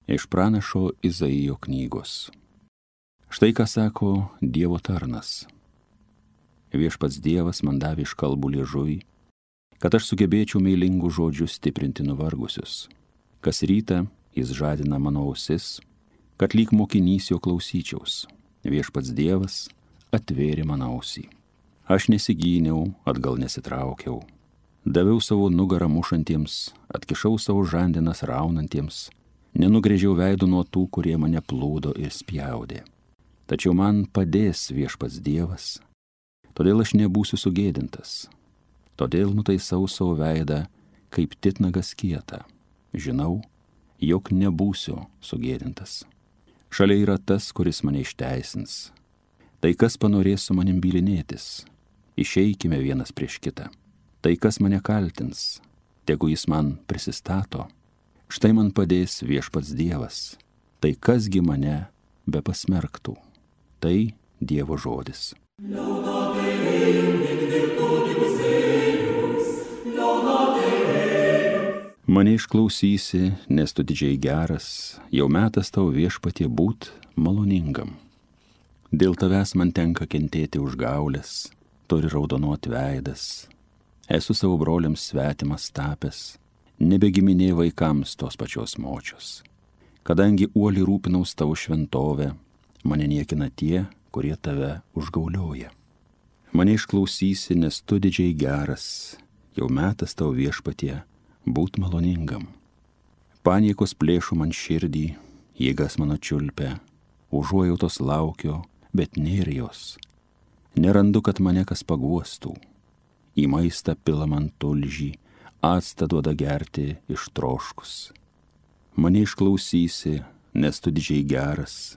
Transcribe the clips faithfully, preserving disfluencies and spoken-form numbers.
Iš pranašo Izaijo knygos. Štai ką sako Dievo tarnas. Viešpats Dievas man davė iškalbų liežuvį, kad aš sugebėčiau meilingų žodžių stiprinti nuvargusius. Kas rytą jis žadina mano ausis, kad lyg mokinys jo klausyčiaus. Viešpats Dievas atvėrė mano ausį. Aš nesigyniau, atgal nesitraukiau. Daviau savo nugarą mušantiems, atkišau savo žandinas raunantiems, nenugrėžiau veidų nuo tų, kurie mane plūdo ir spjaudė. Tačiau man padės Viešpats Dievas, todėl aš nebūsiu sugėdintas. Todėl nutaisau savo veidą kaip titnagas kietą. Žinau, jog nebūsiu sugėdintas. Šalia yra tas, kuris mane išteisins. Tai kas panorės su manim bylinėtis, išeikime vienas prieš kitą. Tai kas mane kaltins, tegu jis man prisistato. Štai man padės Viešpats Dievas. Tai kasgi mane be pasmerktų. Tai Dievo žodis. Mane išklausysi, nes tu didžiai geras, jau metas tau Viešpatie būt maloningam. Dėl tavęs man tenka kentėti užgaulės, turi raudonuot veidas. Esu savo broliams svetimas tapęs, nebegiminė vaikams tos pačios močios. Kadangi uoliai rūpinaus tavo šventovę, mane niekina tie, kurie tave užgaulioja. Mane išklausysi, nes tu didžiai geras, jau metas tau Viešpatie būt maloningam. Paniekos plėšo man širdį, jėgas mano čiulpia, užuojautos laukiu, bet nėra jos. Nerandu, kad mane kas paguostų. Į maistą pila man tulžį, actą duoda gerti ištroškus. Mane išklausysi, nes tu didžiai geras,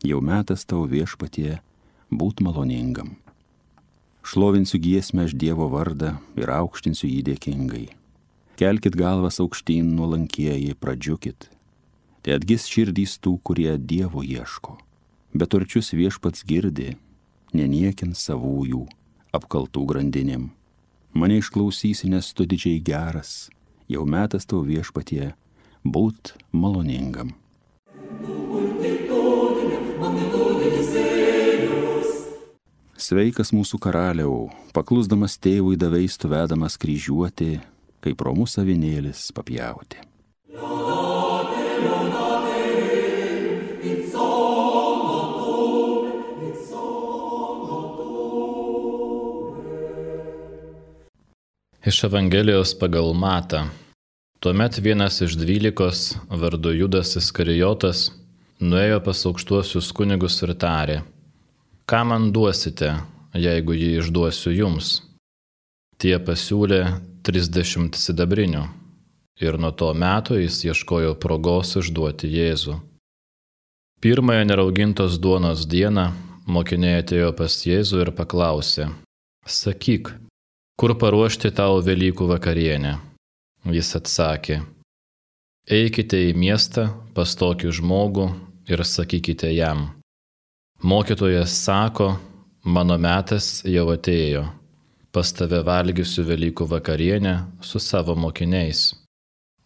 jau metas tau Viešpatie būt maloningam. Šlovinsiu giesmę aš Dievo vardą ir aukštinsiu jį dėkingai. Kelkit galvas aukštyn nuolankieji, pradžiukit. Tai atgis širdys tų, kurie Dievo ieško. Beturčius Viešpats girdi, neniekins savųjų apkaltų grandinėm. Mane išklausysi, nes tu didžiai geras, jau metas tau Viešpatie būt maloningam. Sveikas mūsų karaliau, paklusdamas tėvui daveis tu vedamas kryžiuoti, kaip romus avinėlis papjauti. Iš Evangelijos pagal Matą. Tuomet vienas iš dvylikos, vardu Judas Iskarijotas, nuėjo pas aukštuosius kunigus ir tarė: ką man duosite, jeigu jį išduosiu jums? Tie pasiūlė trisdešimt sidabrinių, ir nuo to meto jis ieškojo progos išduoti Jėzų. Pirmąją neraugintos duonos dieną mokiniai atėjo pas Jėzų ir paklausė: sakyk, kur paruošti tau Velykų vakarienę? Jis atsakė: eikite į miestą pas tokį žmogų ir sakykite jam: mokytojas sako, mano metas jau atėjo, pas tave valgysiu Velykų vakarienę su savo mokiniais.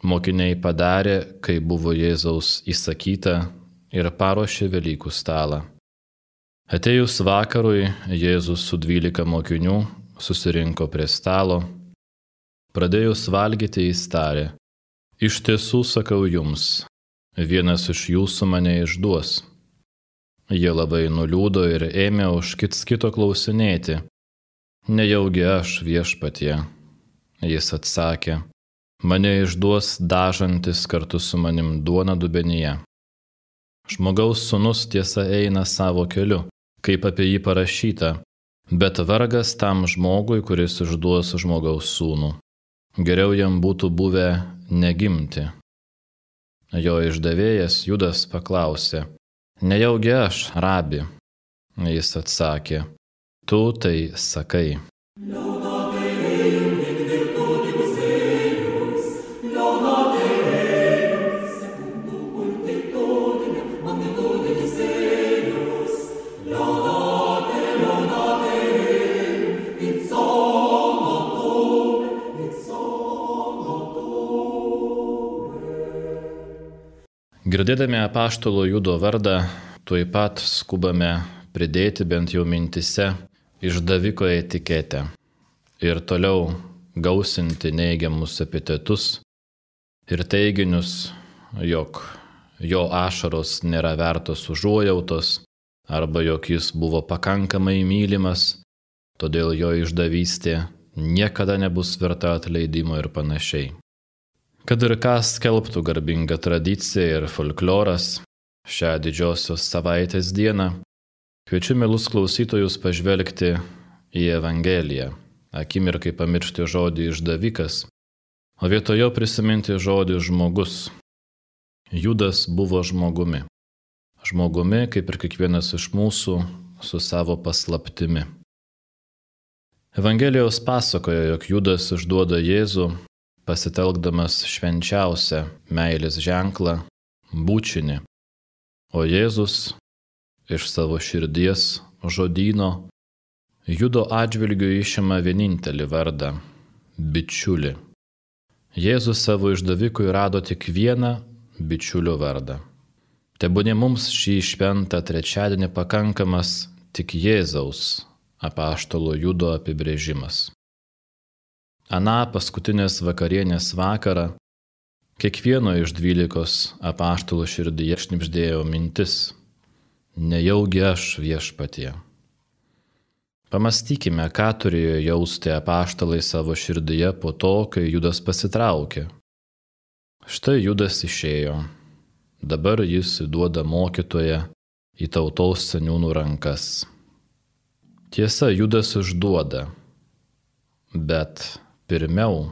Mokiniai padarė, kai buvo Jėzaus įsakyta, ir paruošė Velykų stalą. Atėjus vakarui, Jėzus su dvylika mokinių susirinko prie stalo. Pradėjus valgyti jis tarė: iš tiesų sakau jums, vienas iš jūsų mane išduos. Jie labai nuliūdo ir ėmė už kits kito klausinėti: nejaugi aš, Viešpatie? Jis atsakė: mane išduos dažantis kartu su manim duoną dubenyje. Žmogaus sūnus tiesa eina savo keliu, kaip apie jį parašyta, bet vargas tam žmogui, kuris išduos žmogaus sūnų. Geriau jam būtų buvę negimti. Jo išdavėjas Judas paklausė: nejaugi aš, rabi? Jis atsakė: tu tai sakai. Girdėdami apaštalo Judo vardą, tuoj pat skubame pridėti bent jau mintise išdaviko etiketę ir toliau gausinti neigiamus epitetus ir teiginius, jog jo ašaros nėra vertos užuojautos arba jog jis buvo pakankamai mylimas, todėl jo išdavystė niekada nebus verta atleidimo ir panašiai. Kad ir ką skelbtų garbinga tradicija ir folkloras šią didžiosios savaitės dieną, kviečiu mielus klausytojus pažvelgti į Evangeliją, akimirkai pamiršti žodį išdavikas, o vietojo prisiminti žodį žmogus. Judas buvo žmogumi. Žmogumi, kaip ir kiekvienas iš mūsų, su savo paslaptimi. Evangelijos pasakoja, jog Judas išduoda Jėzų, pasitelkdamas švenčiausią meilės ženklą – bučinį, o Jėzus iš savo širdies žodyno Judo atžvilgiu išima vienintelį vardą – bičiulį. Jėzus savo išdavikui rado tik vieną bičiulio vardą. Tebūnie mums šį šventą trečiadienį pakankamas tik Jėzaus apaštalo Judo apibrėžimas. Aną paskutinės vakarienės vakarą kiekvieno iš dvylikos apaštalų širdyje šnibždėjo mintis: nejaugi aš viešpatie. Pamastykime, ką turėjo jausti apaštalai savo širdyje po to, kai Judas pasitraukė. Štai Judas išėjo. Dabar jis įduoda mokytoją į tautos seniūnų rankas. Tiesa, Judas išduoda, bet pirmiau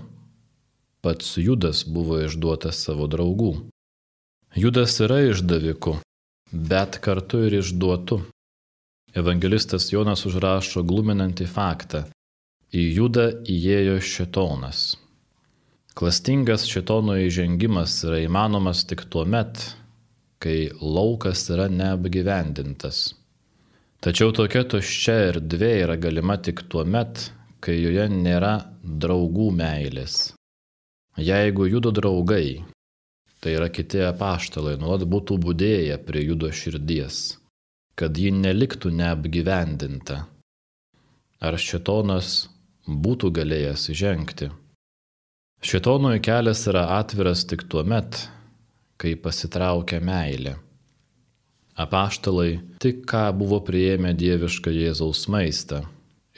pats Judas buvo išduotas savo draugų. Judas yra išdaviku, bet kartu ir išduotu. Evangelistas Jonas užrašo gluminantį faktą: į Judą įėjo šėtonas. Klastingas šėtono įžengimas yra įmanomas tik tuomet, kai laukas yra neapgyvendintas. Tačiau tokia tuščia erdvė yra galima tik tuomet, kai joje nėra draugų meilės. Jeigu Judo draugai, tai yra kiti apaštalai, nuolat būtų budėję prie Judo širdies, kad ji neliktų neapgyvendinta, ar šėtonas būtų galėjęs įžengti? Šėtonui kelias yra atviras tik tuomet, kai pasitraukia meilė. Apaštalai tik ką buvo priėmę dievišką Jėzaus maistą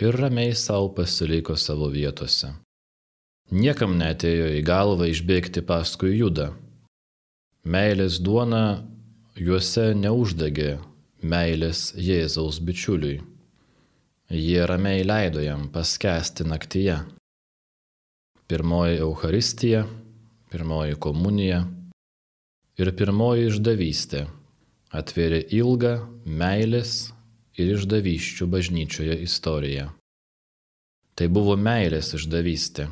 ir ramiai savo pasiliko savo vietose. Niekam neatėjo į galvą išbėgti paskui Judą. Meilės duona juose neuždegė meilės Jėzaus bičiuliui. Jie ramiai leido jam paskęsti naktyje. Pirmoji Eucharistija, pirmoji komunija ir pirmoji išdavystė atvėrė ilgą meilės ir išdavysčių bažnyčioje istoriją. Tai buvo meilės išdavystė.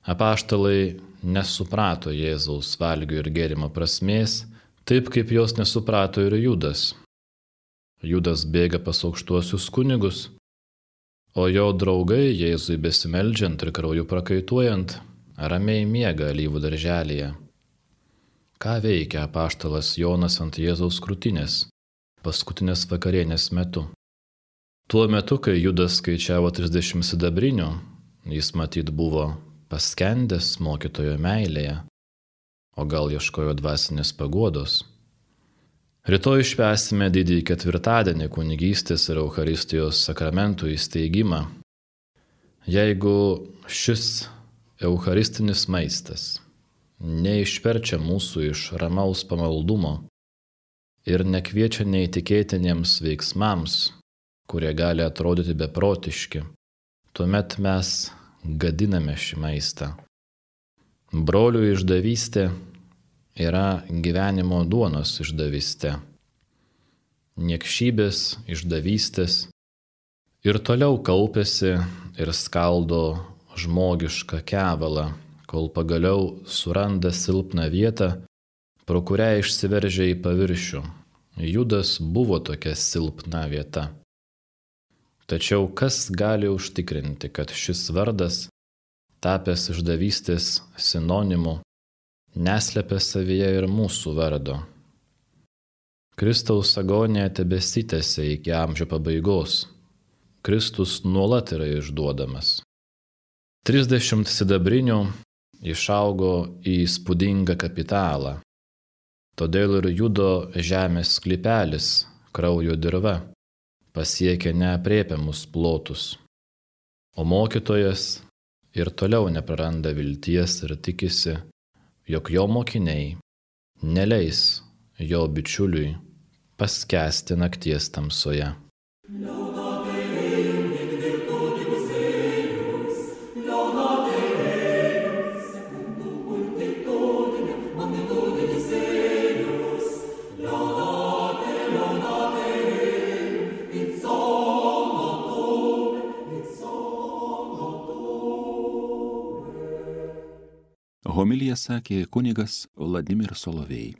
Apaštalai nesuprato Jėzaus valgio ir gėrimo prasmės, taip kaip jos nesuprato ir Judas. Judas bėga pas aukštuosius kunigus, o jo draugai Jėzui besimeldžiant ir krauju prakaituojant ramiai miega alyvų darželyje. Ką veikia apaštalas Jonas ant Jėzaus krūtinės paskutinės vakarienės metu? Tuo metu, kai Judas skaičiavo trisdešimt sidabrinių, jis matyt buvo paskendęs mokytojo meilėje, o gal ieškojo dvasinės paguodos. Rytoj švęsime didįjį ketvirtadienį kunigystės ir Eucharistijos sakramentų įsteigimą. Jeigu šis eucharistinis maistas neišverčia mūsų iš ramaus pamaldumo ir nekviečia neįtikėtiniems veiksmams, kurie gali atrodyti beprotiški, tuomet mes gadiname šį maistą. Brolių išdavystė yra gyvenimo duonos išdavystė. Niekšybės išdavystės ir toliau kaupiasi ir skaldo žmogišką kevalą, kol pagaliau suranda silpną vietą, pro kurią išsiveržia į paviršių. Judas buvo tokia silpna vieta. Tačiau kas gali užtikrinti, kad šis vardas, tapęs išdavystės sinonimu, neslepia savyje ir mūsų vardo, Kristaus agonija tebesitęsia iki amžių pabaigos. Kristus nuolat yra išduodamas. Trisdešimt sidabrinių išaugo į įspūdingą kapitalą. Todėl ir Judo žemės sklypelis, kraujo dirva, pasiekė neaprėpiamus plotus. O mokytojas ir toliau nepraranda vilties ir tikisi, jog jo mokiniai neleis jo bičiuliui paskęsti nakties tamsoje. Homiliją sakė kunigas Vladimir Solovej.